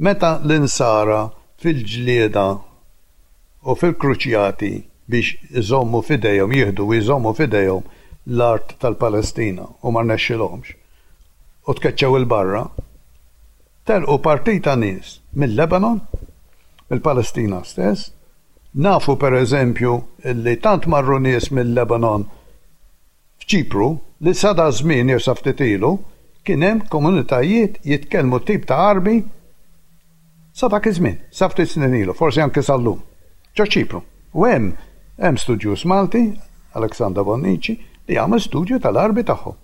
Meta l-Insara fil-ġlieda u fil-kruċjati biex iżommu f'idejhom, jieħdu u jżommu f'idejhom l-art tal-Palestina u ma rnexxilhomx u tkeċċew 'il barra, telqu partita nies mil-Lebanon, mill-Palestina stess. Nafu per eżempju li tant marru nies mil-Lebanon F'Ċipru, li sa daż-żmien jew sa ftit ilu, kien hemm komunitajiet jitkellmu tip ta' Għarbi sa dak iż-żmien, sa ftit snin ilu, forsi anke sal-lum. Ġo Ċipru. U hemm hemm studjuż Malti, Alexander Bonnici, li għamel studju tal-Għarbi tagħhom.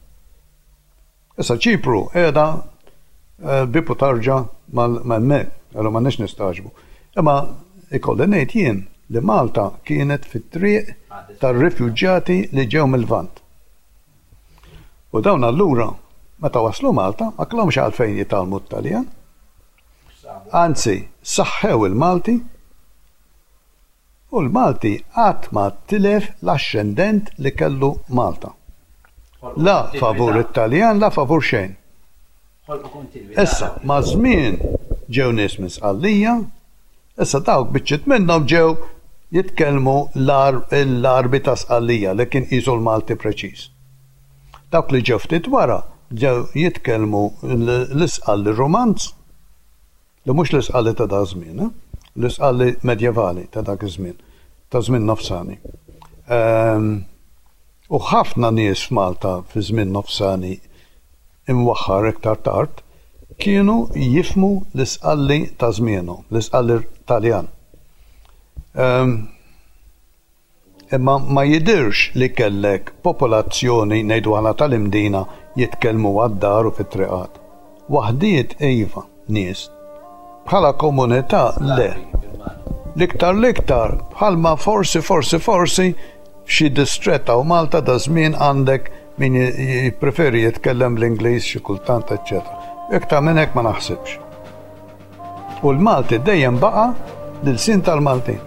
Issa Ċipru qiegħda bieb u tarġa ma' hemmhekk, allura m'għandniex nistagħġbu. Imma ikolli ngħid jien li Malta kienet fit-triq tar-rifuġjati li ġew mil-Lvant. U dawn allura meta waslu Malta ma kellhomx għalfejn jitgħallmu t-Taljan. Anzi, saħħew il-Malti U l-Malti qatt ma tilef l-axxendent li kellu Malta. La favur it-Taljan la favur xejn. Issa, maż-żmien ġew nies minn Sqallija, issa dawk biċċiet minnhom ġew jitkellmu l-Għarbi ta' Sqallija li kien qisu l-Malti preċiż. Dawk li ġew ftit wara ġew jitkellmu l-Isqalli Rumanz. Li mhux l-Isqalli ta' dak żmien, eh? L-Isqalli medjevali ta' dak iż-żmien, ta' żmien nofsani. Ehm, u ħafna nies f'Malta fi żmien nofsani imwaħħar iktar tard kienu jifhmu l-Isqalli ta' żmienhom, l-Isqalli Taljan. Ehm, Imma ma jidhirx li kellek popolazzjoni, ngħidu aħna tal-Imdina, jitkellmu għad-dar u fit-triqat. Waħdiet iva, nies. Bħala komunità le. L-iktar l-iktar, bħalma forsi forsi forsi f'xi distrett hawn Malta daż-żmien għandek min jippreferi jitkellem bl-Ingliż xi kultant eċċetera. Iktar minn hekk ma naħsibx. U l-Malti dejjem baqa' l-ilsien tal-Maltin.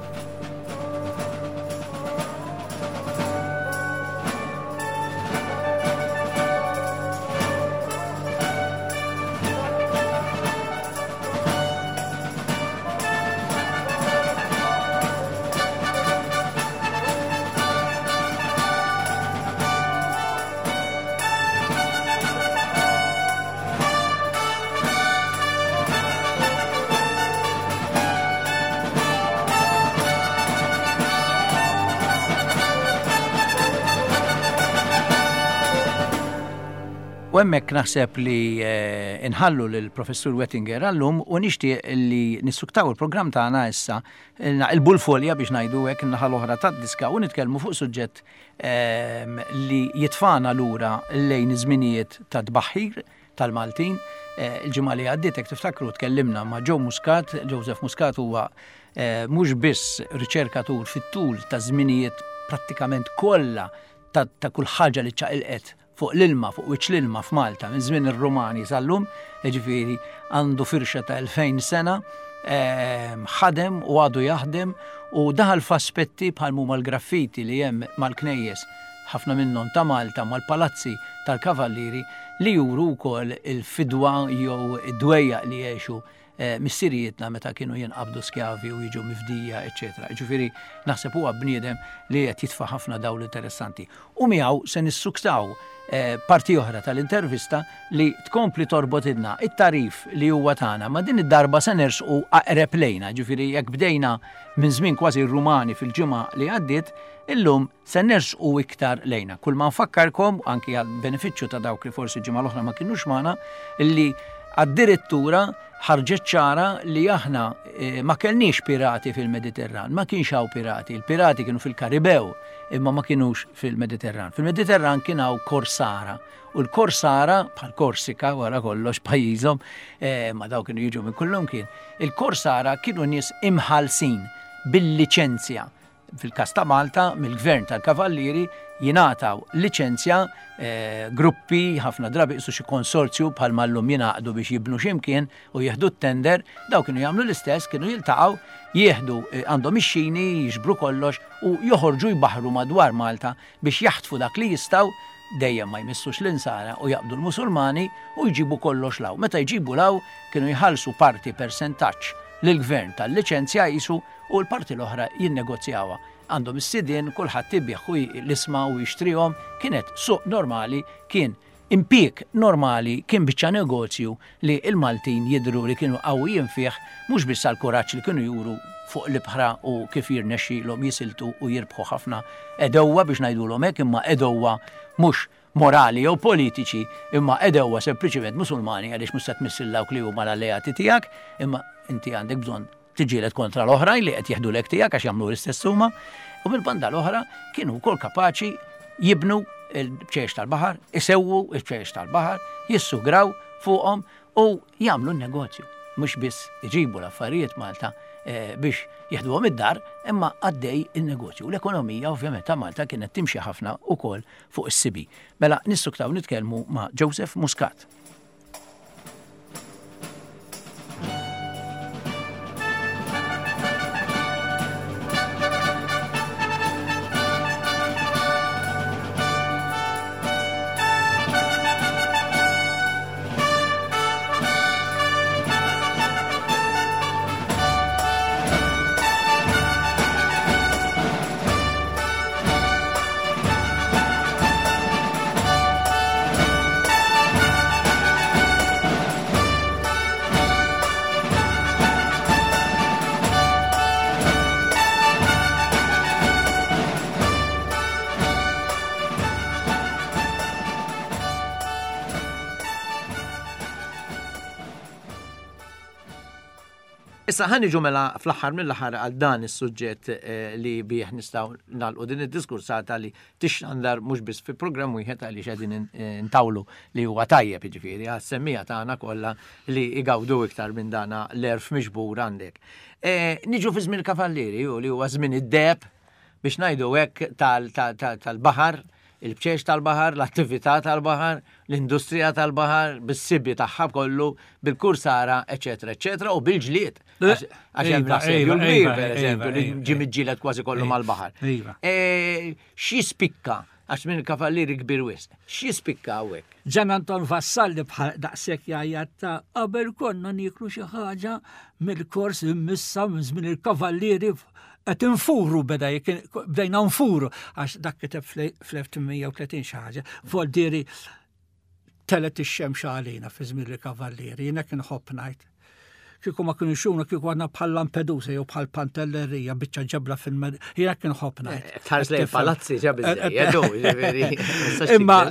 U hemmhekk naħseb li eh, inħallu lil Professur Wettinger għallum u nixtieq li nissuktaw il-programm tagħna issa eh, naqilbu l-folja biex ngħidu hekk naħa l-oħra tad-diska u nitkellmu fuq suġġett ehm, li jitfana lura lejn iż-żminijiet ta' tbaħħir tal-Maltin. Eh, il-ġimgħa li għaddiet hekk tiftakru tkellimna ma' Joe Muscat, Joseph Muscat huwa eh, mhux biss riċerkatur fit-tul ta' żminijiet prattikament kollha ta' kull ħaġa li ċaqilqet fuq l-ilma, fuq wiċċ l-ilma f'Malta minn żmien ir-Rumani sal-lum, jiġifieri għandu firxa ta' 2000 sena, eh, ħadem u għadu jaħdem u daħal f'aspetti bħal huma l-graffiti li hemm mal-knejjes ħafna minnhom ta' Malta mal-palazzi tal-Kavallieri li juru wkoll il-fidwa jew id-dwejjaq li għexu eh, missirijietna meta kienu jinqabdu skjavi u jiġu mifdija, eċetera. Ġifieri naħseb huwa bniedem li qed jitfa' ħafna dawl interessanti. U miegħu se nissuktaw eh, parti oħra tal-intervista li tkompli torbotilna it-tarif li huwa tagħna, ma din id-darba se nersqu aqreb lejna, ġifieri jekk bdejna minn żmien kważi Rumani fil-ġimgħa li għaddiet, illum se nersqu iktar lejna. Kull ma nfakkarkom, anki għal benefiċċju ta' dawk li forsi ġimgħa l-oħra ma kinux magħna, li addirittura ħarġet ċara li aħna eh, ma kellniex pirati fil-Mediterran, ma kienx hawn pirati, il-pirati kienu fil-Karibew imma ma kienux fil-Mediterran. Fil-Mediterran kien hawn korsara u l-korsara bħal Korsika wara kollox pajjiżhom, eh, ma daw kienu jiġu minn kullum kien, il-korsara kienu nies imħalsin bil-liċenzja. Fil-każ ta' Malta, mill-Gvern tal-Kavallieri jingħataw liċenzja gruppi, ħafna drabi qisu xi konsorzju bħalma llum jingħaqdu biex jibnu xi mkien u jieħdu t-tender, dawn kienu jagħmlu l-istess, kienu jiltaqgħu, jieħdu għandhom ix-xini, jiġbru kollox u joħorġu jbaħħru madwar Malta biex jaħtfu dak li jistgħu, dejjem ma jmissux l-Insara u jaqbdu l-Musulmani u jġibu kollox 'l hawn. Meta jġibu 'l hawn kienu jħallsu parti persentaġġ lill-Gvern tal-liċenzja qisu u l-parti l-oħra jinnegozjawha. Għandhom is-sidien, kulħadd ibigħ u l-isma u jixtrihom, kienet suq normali, kien impieg normali, kien biċċa negozju li l-Maltin jidhru li kienu qawwijin fih mhux biss għall-kuraġġ li kienu juru fuq l-ibħra u kif jirnexxilhom jisiltu u jirbħu ħafna għedewwa biex ngħidulhom hekk imma għedewwa mhux morali jew politiċi imma għedewwa sempliċiment Musulmani għaliex mhux se tmiss lil dawk li huma l-alleati tiegħek imma inti għandek bżonn tiġġieled kontra l-oħrajn li qed jeħdulek tiegħek għax jagħmlu l-istess huma, u mill-banda l-oħra kienu wkoll kapaċi jibnu l-bċejjex tal-baħar, isewwu l-bċejjex tal-baħar, jissugraw fuqhom u jagħmlu n-negozju. Mhux biss iġibu l-affarijiet Malta eh, biex jeħduhom id-dar, imma għaddej il-negozju. L-ekonomija ovvjament ta' Malta kienet timxi ħafna ukoll fuq is-sibi. Mela nissuktaw nitkellmu ma' Joseph Muscat. Issa ħa niġu mela fl-aħħar mill-aħħar għal dan is-suġġett eh, li bih nistgħu nagħlqu din id-diskursata li tixxandar mhux biss fi programm wieħed għaliex qegħdin intawlu li huwa tajjeb jiġifieri għas-semmiegħa tagħna kollha li jgawdu iktar minn dana l-għerf miġbur għandek. E, niġu fi żmien il-Kavallieri u li huwa żmien id-deheb biex ngħidu hekk tal-baħar, il-bċeċ tal-baħar, l-attività tal-baħar, l-industrija tal-baħar, bis-sibi tagħha kollu, bil-kursara, eċetera, eċetera, u bil-ġlied. Għax hemm iva, l-assedju iva, l-kbir, iva, per eżempju, li ġie miġġieled kważi kollu mal-baħar. E, x'jispikka għax minn il-kavallieri kbir wisq. X'jispikka hawnhekk? Ġan Anton Vassalli bħal daqshekk jgħajjat ta' qabel konna nieklu xi ħaġa mill-kors immissa minn żmien il-kavallieri qed infuru beda bdejna nfuru għax dak kiteb fl-1830 xi ħaġa. Voldieri telet ix-xemx għalina fi żmien il-kavallieri, jiena kien ħobb ngħid. Kieku ma kienu xuna, kieku għadna bħal Lampedusa jew bħal Pantellerija, biċċa ġebla fil-med, jiena kien ħobb ngħid. Eh, tħares lejn palazzi ġa biżejjed, eh, eh, Imma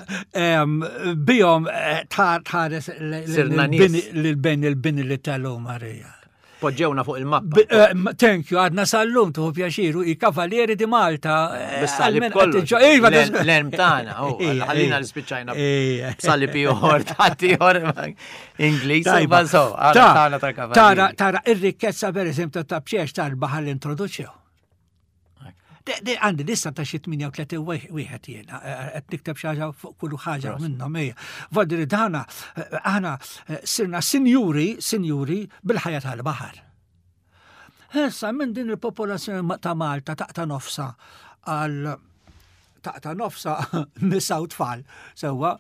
bihom tħares lil-bejn il-bini li tellu Marija. Poġġewna fuq il-mappa. Eh, thank you, għadna sal-lum tuħu pjaċiru, i Kavalieri di Malta. Eh, Bis-salib kollu. Iva, l-erm tagħna, oh, ħallina li spiċċajna. Salib ieħor, ieħor Ingliż, ma so, tagħna tal-Kavalieri. Tara ir-rikkezza pereżempju ta' bċiex tal-baħar li introduċew. Għandi lista ta' xi 38 wieħed jiena, eh, eh, qed nikteb xi ħaġa fuq kull ħaġa minnhom hija. Vodri dana eh, aħna sirna sinjuri, sinjuri bil-ħajja tal-baħar. Issa minn din il-popolazzjoni ta' Malta taqta' nofsa għal taqta' nofsa nisa u tfal, sewwa,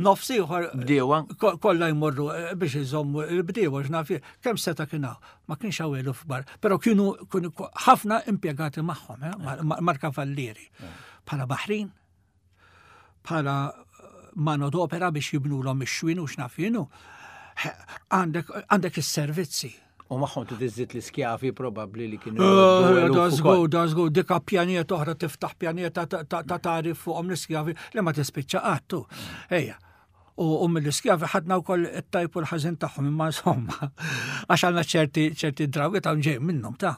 nofs ieħor bdiewa kollha jmorru eh, biex iżommu l-bdiewa x'naf kemm seta' kien hawn, ma kienx hawn eluf kbar, però kienu ħafna impjegati magħhom, eh, mal-kavallieri. Eh. Bħala baħrin, bħala mano d'opera biex jibnulhom ix-xwien u x'naf jienu. Għandek is-servizzi. U magħhom trid iżżid l-iskjavi probabbli li kienu. Eh, da żgur, da żgur, dik pjanieta oħra tiftaħ pjanieta ta' tarif fuqhom l-iskjavi li ma tispiċċa qattu. Ejja. U mill-iskjavi ħadna wkoll it-tajb u l-ħażin tagħhom imma insomma għax għandna ċerti ċerti drawi ta' ġej minnhom ta'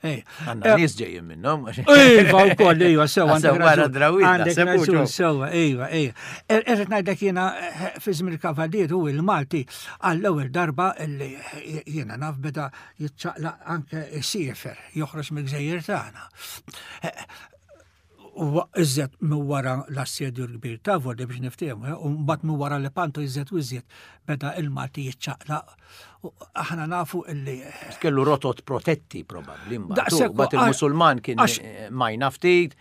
Għandna nies ġejjin minnhom. Iva wkoll iva sewa għandek raġun. Għandek raġun sewa, iva, iva. Er, irrid ngħidlek jiena eh, fi żmien il-Kavalier u il-Malti għall-ewwel darba li jiena naf beda jiċċaqlaq anke siefer joħroġ mill-gżejjer tagħna. Eh, U iżjed minn wara l-assedju l-kbir ta' Vodi biex niftehmu, eh, u mbagħad minn wara li Panto iżjed u iżjed beda il-Malti jiċċaqlaq. Aħna nafu illi. Kellu rotot protetti probabbli mbagħad. Mbagħad il-Musulman kien eh, majna ftit,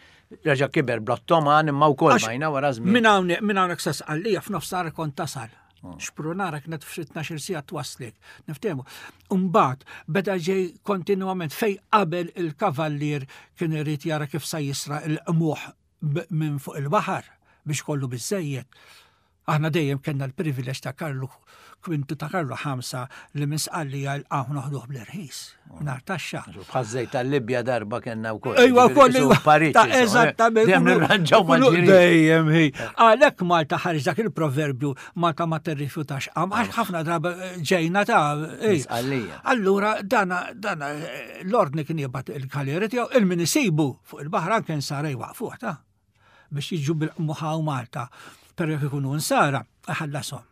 reġa' kiber bl-Ottoman imma wkoll majna wara żmien. Minn hawnhekk minn hawnhekk sa Sqallija f'nofsar kont tasal. Xprunara kienet f'xi 12 siegħa twaslek. Niftehmu. Mbagħad beda ġej kontinwament fej qabel il-kavallier kien irid jara kif sa jisra il-qmuħ minn fuq il-baħar biex kollu biżejjed. Aħna dejjem kellna l-privileġġ ta' Karlu Kwintu ta' Karlu ħamsa li minn Sqallija l-qamħ noħduh bl-irħis, mingħajr taxxa. Bħaż-żejt tal-Libja darba kellna wkoll. Ejwa wkoll Pariġi. Eżattament. Dejjem nirranġaw mal-ġirien. Dejjem hi. Għalhekk Malta ħareġ dak il-proverbju Malta ma tirrifjutax qam, għax ħafna drabi ġejna ta' Sqallija. Allura dana dana l-ordni kien jibgħat il-kaleri tiegħu il-min isibu fuq il-baħar anke nsara jwaqfuh ta' biex jiġu bil-qmuħa u Malta, pero jekk ikunu nsara, ħallasom.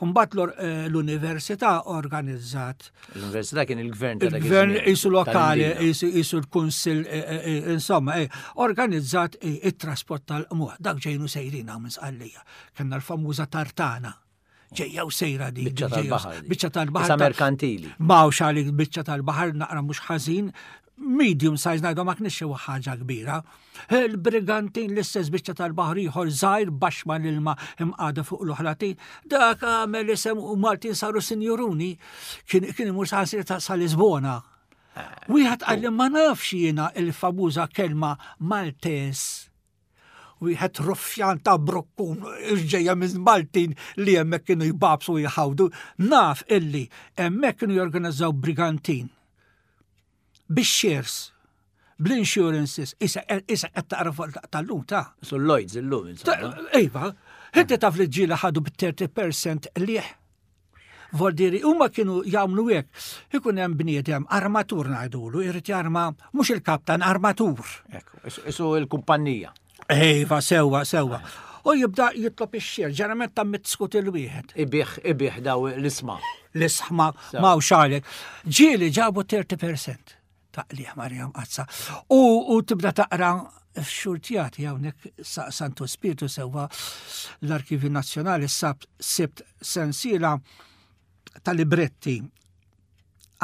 Mbagħad eh, l-università organizzat. L-università kien il-gvern tal Il-gvern isu lokali, isu l-kunsil, eh, eh, insomma, organizzat it-trasport tal-qmuħ. Dak ġejnu sejrin hawn minn Sqallija. Kellna l-famuża tartana. Ġejja u sejra di. Biċċa tal-baħar. Biċċa tal-baħar. Sa merkantili. Mawx għalik biċċa tal-baħar naqra mhux ħażin, medium size ngħidu ma kienx xi ħaġa kbira. Il-brigantin l-istess biċċa tal-baħar ieħor żgħir baxx ma l-ilma imqada fuq l-oħratin. Dak għamel isem u Maltin saru sinjuruni kien kien imur sa sa Lisbona. Wieħed qalli ma nafx jiena il-famuża kelma Maltes wieħed ruffjan ta' brukkun ġejja minn Maltin li hemmhekk kienu jbabsu u jħawdu, naf illi hemmhekk kienu jorganizzaw brigantin bix-shares bl-insurances, isa isa qed taqra fuq tal-lum ta' Sul Lloyds illum insomma. Iva, inti taf li ġieli ħadu b-30% liħ. Voldiri, huma kienu jagħmlu hekk. Ikun hemm bniedem armatur ngħidulu, irid jarma mhux il-kaptan armatur. Ekku, isu il-kumpanija. Iva, sewwa, sewwa. U jibda jitlob ix-xir, ġeneralment ta' mitskut il-wieħed. Ibih, ibih daw l-isma. L-isma, ma' xalek. Ġieli ġabu 30% ta' qliħ Marija Mqazza. U, u tibda taqra f'xurtjati hawnhekk Santu Spiritu sewwa l-Arkivju Nazzjonali sab sibt sensiela ta' libretti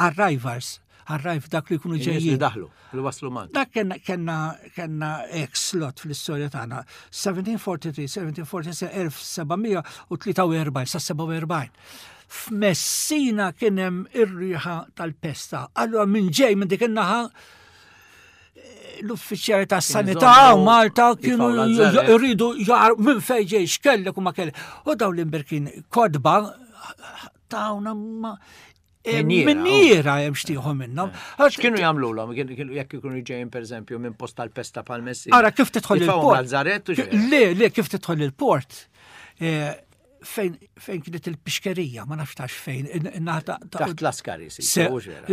arrivals, arrive dak li jkunu ġejjin. Li daħlu, li waslu Malta. Dak kenna kenna kenna ex slot fl-istorja tagħna 1743, 1747, 1743 sa 47. F'Messina kien hemm ir-riħa tal-pesta. Allura minn ġej minn dik in-naħa eh, l-uffiċjali tas sanità u Malta kienu jridu jar minn fejn ġej x'kellek u ma kellek. U dawn l-imberkin kodba tawna ma eh, Minniera hemm xtieħu minnhom. Eh. X'kienu jagħmlulhom jekk ikunu ġejjin pereżempju minn post tal-pesta pal Messina. Ara kif tidħol il-port. Le, le kif tidħol il-port. Fejn fejn kienet il-pixkerija, ma nafx tax fejn. Taħt l-askari, si.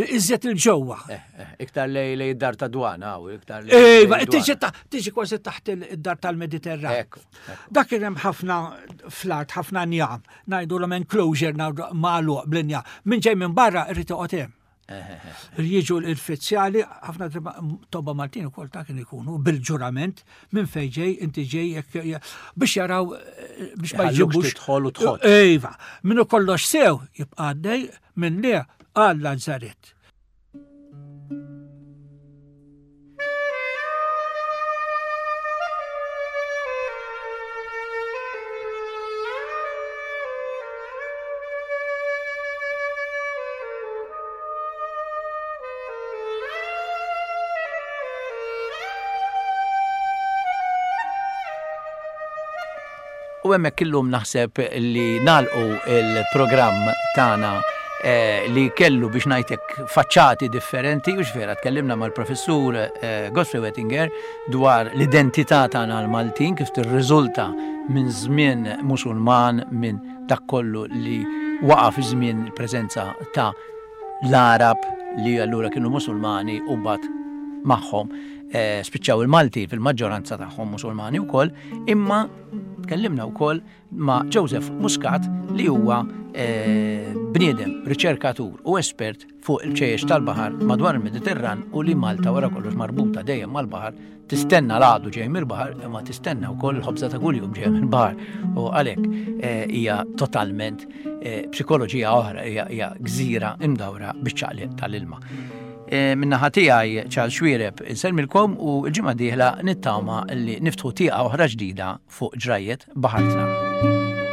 Iżjed il-ġewwa. Eh, eh, iktar lej lej dar ta' dwana, u iktar lej. Ejva, tiġi kważi taħt id-dar tal-Mediterran. Dak kien hemm ħafna fl-art, ħafna njam, ngħidulhom enclosure magħluq bl-injam. Min ġej minn barra irid joqgħod hemm. Jiġu l-fizzjali, ħafna tobba Maltin ukoll ta' kien ikunu bil-ġurament minn fejn ġej, inti ġej biex jaraw eh, biex ma jġibux. Tidħol u tħodd. Iva, minnu kollox sew jibqa' għaddej minn le għal Lazzaret. U hemmhekk illum naħseb li nagħlqu il-programm tagħna eh, li kellu biex ngħidlek faċċati differenti u x'vera tkellimna mal-professur eh, Godfrey Wettinger dwar l-identità tagħna l-Maltin kif tirriżulta minn żmien Musulman minn dak kollu li waqa' fi żmien il-preżenza ta' l-Arab li allura kienu Musulmani u mbagħad magħhom eh, spiċċaw il-Malti fil-maġġoranza tagħhom Musulmani wkoll, imma tkellimna wkoll ma' Joseph Muscat li huwa eh, bniedem, riċerkatur u espert fuq il-ċejjex tal-baħar madwar il-Mediterran u li Malta wara kollox marbuta dejjem mal-baħar tistenna l-għadu ġej mill-baħar imma tistenna wkoll il-ħobża ta' kuljum ġej mill-baħar u għalhekk eh, hija totalment eh, psikoloġija oħra hija gżira imdawra biċ-ċaqliq tal-ilma. Eh, minnaħa tiegħi Charles Xwiereb insellmilkom u l-ġimgħa dieħla nittama li niftħu tieqa oħra ġdida fuq ġrajjet baħartna.